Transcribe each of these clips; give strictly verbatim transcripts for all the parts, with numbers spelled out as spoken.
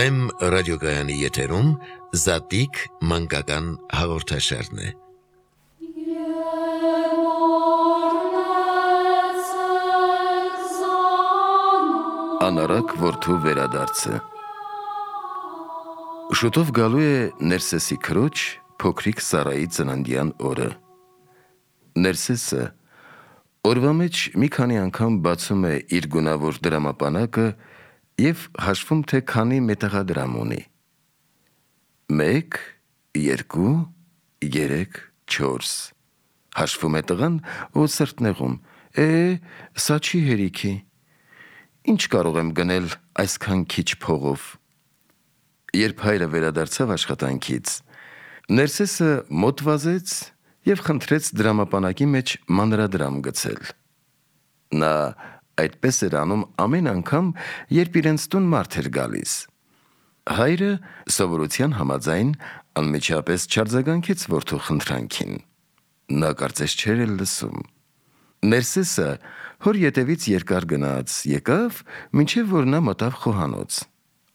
Վեմ ռադիոգայանի եթերում Զատիկ մանկական հաղորդաշարն է։ Անարակ որդու վերադարձը։ Շուտով գալու է Ներսեսի քրոջ փոքրիկ Սարայի ծննդյան օրը։ Ներսեսը օրվա մեջ մի քանի անգամ բացում է իր գունավոր դրամապանակը և հաշվում թե քանի մետաղադրամ ունի։ Մեկ, երկու, երեք, չորս։ Հաշվում է տղան ու սրտնեղում, է, սա չի հերիքի։ Ինչ կարող եմ գնել այսքան քիչ փողով։ Երբ հայրը վերադարձավ աշխատանքից, Ներսեսը մոտ վազեց և խնդրեց դրամապանակի մեջ մանրադրամ գցել։ Նա այդպես էր անում ամեն անգամ, երբ իրենց տուն մարդ էր գալիս։ Հայրը սովորության համաձայն անմիջապես չարձագանքեց որդու խնդրանքին։ Նա կարծես չէր էլ լսում։ Ներսեսը հոր ետևից երկար գնաց, եկավ, մինչև որ նա մտավ խոհանոց։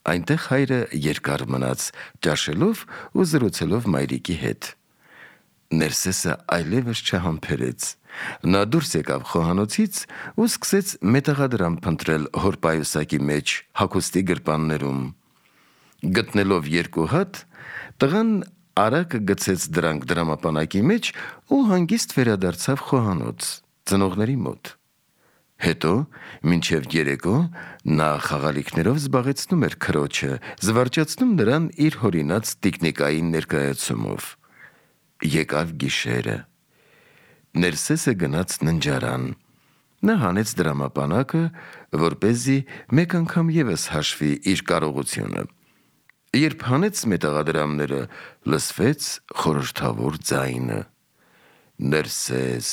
Այնտեղ հայրը երկար մնաց, ճաշելով ու զրուցելով մայրիկի հետ։ Ներսեսը այլևս չհամբերեց։ Նա դուրս եկավ խոհանոցից ու սկսեց մետաղադրամ փնտրել հոր պայուսակի մեջ հագուստի գրպաններում։ Գտնելով երկու հատ, տղան արագ գցեց դրանք դրամապանակի մեջ ու հանգիստ վերադարձավ խոհանոց, ծնողների մոտ։ Հետո, մինչև երեկո, նա խաղալիքներով զբաղեցնում էր քրոջը, զվարճացնում նրան իր հորինած տիկնիկային ներկայացումով։ Եկավ գիշերը։ Ներսեսը գնաց ննջարան։ Նա հանեց դրամապանակը, որպեսզի մեկ անգամ ևս հաշվի իր կարողությունը։ Երբ հանեց մետաղադրամները, լսվեց խորհրդավոր ձայնը. Ներսես,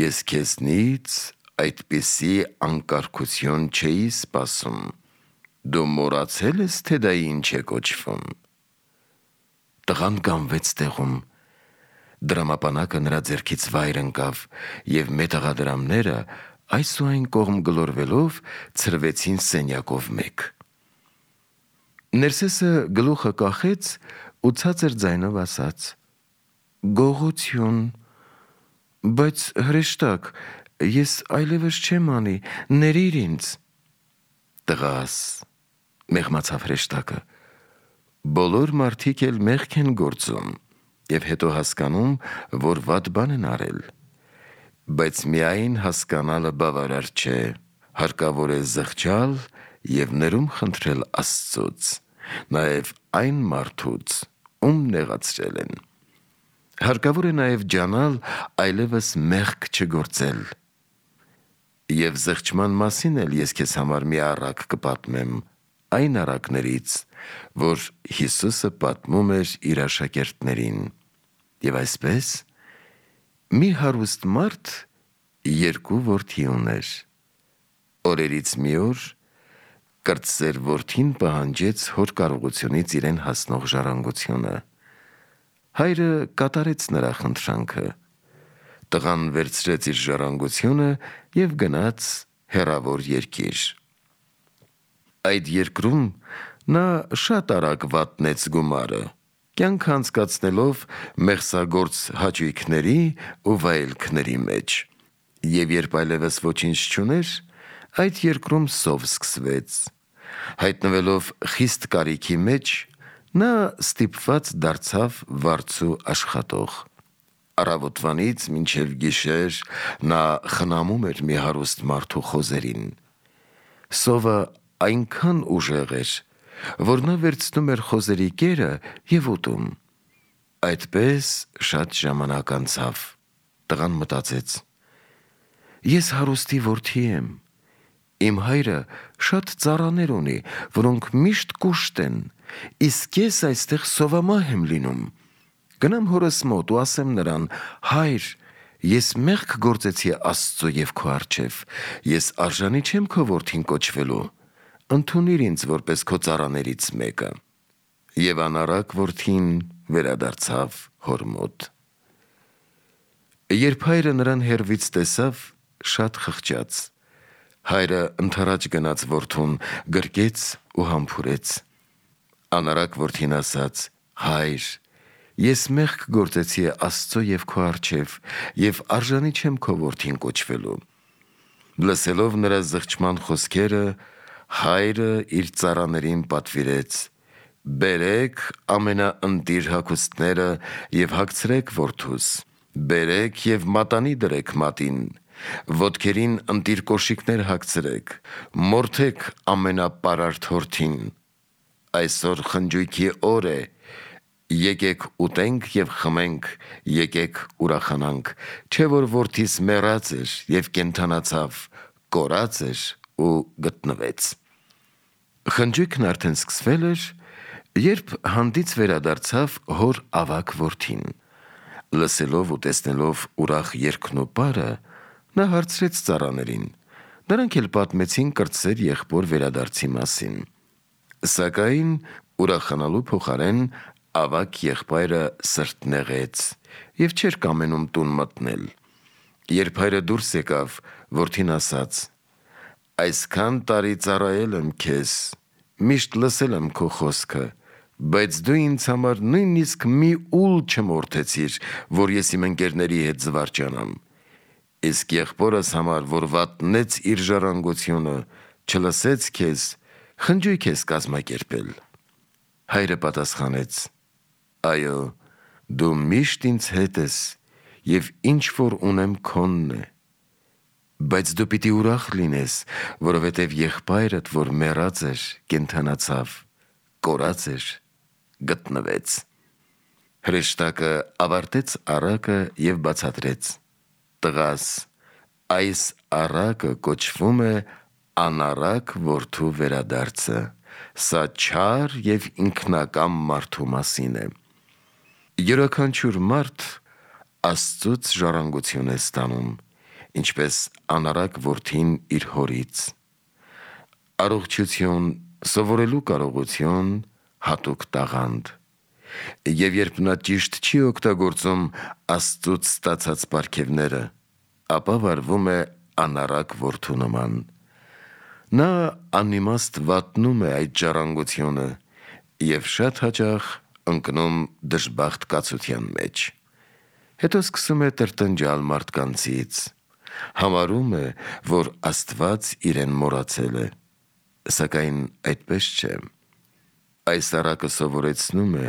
ես քեզնից այդպիսի անկարգություն չէի սպասում։ Դու մոռացել ես, թե դա ինչ է կոչվում։ Տղան կանգնեց տեղում։ Դրամապանակը նրա ձեռքից վայր ընկավ, և մետաղադրամները այս ու այն կողմ գլորվելով ցրվեցին սենյակով մեկ։ Ներսեսը գլուխը կախեց ու ցածր ձայնով ասաց. Գողություն, բայց հրեշտակ, ես այլևս չեմ անի, ներիր ինձ։ Տղաս, մեղմացավ հրեշտակը, բոլոր մարդիկ էլ մեղք են գործում և հետո հասկանում, որ վատ բան են արել։ Բայց միայն հասկանալը բավարար չէ, հարկավոր է զղջալ և ներում խնդրել Աստծուց, նաև այն մարդուց, ում նեղացրել են։ Հարկավոր է նաև ջանալ այլևս մեղք չգործել։ Եվ զղջման մասին էլ ես քեզ համար մի առակ կպատմեմ, այն առակներից, որ Հիսուսը պատմում էր իր աշակերտներին։ Եվ այսպես, մի հարուստ մարդ երկու որդի ուներ։ Օրերից մի օր կրտսեր որդին պահանջեց հոր կարողությունից իրեն հասնող ժառանգությունը։ Հայրը կատարեց նրա խնդրանքը։ Տղան վերցրեց իր ժառանգությունը և գնաց հեռավոր երկիր։ Այդ երկրում նա շատ արագ վատնեց գումարը, կյանքը անցկացնելով մեղսագործ հաճույքների ու վայելքների մեջ։ Եվ երբ այլևս ոչինչ չուներ, այդ երկրում սով սկսվեց։ Հայտնվելով խիստ կարիքի մեջ, նա ստիպված դարձավ վարձու աշխատող։ Առավոտվանից մինչև գիշեր նա խնամում էր մի հարուստ մարդու խոզերին։ Սովը այնքան ուժեղ էր, որ նա վերցնում էր խոզերի կերը և ուտում։ Այդպես շատ ժամանակ անցավ։ Տղան մտածեց. ես հարուստի որդի եմ։ Իմ հայրը շատ ծառաներ ունի, որոնք միշտ կուշտ են, իսկ ես այստեղ սովամահ եմ լինում։ Գնամ հորս մոտ ու ասեմ նրան. հայր, ես մեղք գործեցի Աստծու և քո առջև, ես արժանի չեմ քո որդին կոչվելու, ընդունիր ինձ որպես քո ծառաներից մեկը։ Եվ անառակ որդին վերադարձավ հոր մոտ։ Երբ հայրը նրան հեռվից տեսավ, շատ խղճաց։ Հայրը ընդառաջ գնաց որդուն, գրկեց ու համբուրեց։ Անարակ որդին ասաց. «Հայր, ես մեղք գործեցի Աստծո և քո առջև, և արժանի չեմ քո որդին կոչվելու»։ Լսելով նրա զղջման խոսքերը, հայրը իր ծառաներին պատվիրեց. «Բերեք ամենաընտիր հագուստները և հագցրեք որդուս, բերեք և մատանի դրեք մատին, ոտքերին ընտիր կոշիկներ հագցրեք, մորթեք ամենապարարտ հորթին. այսօր խնջույքի օր է, եկեք ուտենք և խմենք, եկեք ուրախանանք, չէ որ որդիս մեռած էր և կենդանացավ, կորած էր ու գտնվեց»։ Խնջույքն արդեն սկսվել էր, երբ հանդից վերադարձավ հոր ավագ որդին։ Լսելով ու տեսնելով ուրախ երգն ու պարը, նա հարցրեց ծառաներին։ Նրանք էլ պատմեցին կրտսեր եղբոր վերադարձի մասին։ Սակայն ուրախանալու փոխարեն ավագ եղբայրը սրտնեղեց և չէր կամենում տուն մտնել։ Երբ հայրը դուրս եկավ, որդին ասաց. «Այսքան տարի ծառայել եմ քեզ, միշտ լսել եմ քո խոսքը, բայց դու ինձ համար նույնիսկ մի ուլ չմորթեցիր, որ ես իմ ընկերների հետ զվարճանամ։ Իսկ եղբորս համար, որ վատնեց իր ժառանգությունը, չլսեց քեզ, խնջույք ես կազմակերպել»։ Հայրը պատասխանեց. «Այո, դու միշտ ինձ հետ ես, և ինչ որ ունեմ քոնն է։ Բայց դու պիտի ուրախ լինես, որովհետև եղբայրդ, որ մեռած էր, կենդանացավ, կորած էր, գտնվեց»։ Հրեշտակը ավարտեց առակը և բացատրեց. «Տղաս, այս առակը կոչվում է անառակ որդու վերադարձը, սա չար և ինքնակամ մարդու մասին է։ Յուրաքանչյուր մարդ Աստծուց ժառանգություն է ստանում, ինչպես անառակ որդին իր հորից։ Առողջություն, սովորելու կարողություն, հատուկ տաղանդ։ Եվ երբ նա ճիշտ չի օգտագործում Աստծուց ստացած պարգևները, ապա վարվում է անառակ որդու նման։ Նա անիմաստ վատնում է այդ ժառանգությունը և շատ հաճախ ընկնում դժբախտ կացության մեջ։ Հետո սկսում է տրտնջալ մարդկանցից։ Համարում է, որ Աստված իրեն մոռացել է։ Սակայն այդպես չէ։ Այս առակը սովորեցնում է,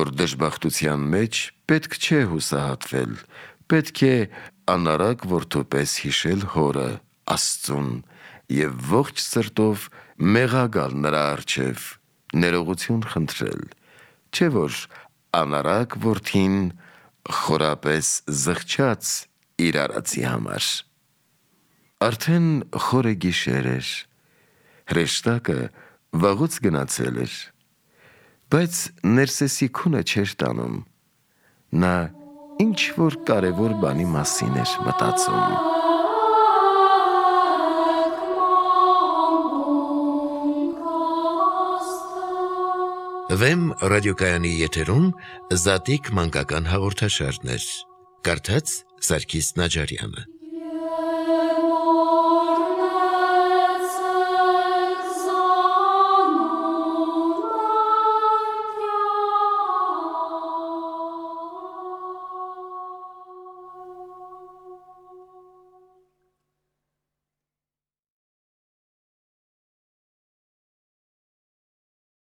որ դժբախտության մեջ պետք չէ հուսահատվել, պետք է անառակ որդու պես հիշել հորը՝ Աստծուն և ողջ սրտով մեղա գալ նրա առջև, ներողություն խնդրել, չէ որ անառակ որդին խորապես զղջաց իր արածի համար։ Արդեն խորը գիշեր էր։ Հրեշտակը վաղուց գնացել էր, բայց Ներսեսի քունը չէր տանում։ Նա ինչ-որ կարևոր բանի մասին էր մտածում։ Վեմ ռադիոկայանի եթերում Զատիկ մանկական հաղորդաշարներ։ Կարդաց Սարգիս Նաջարյանը։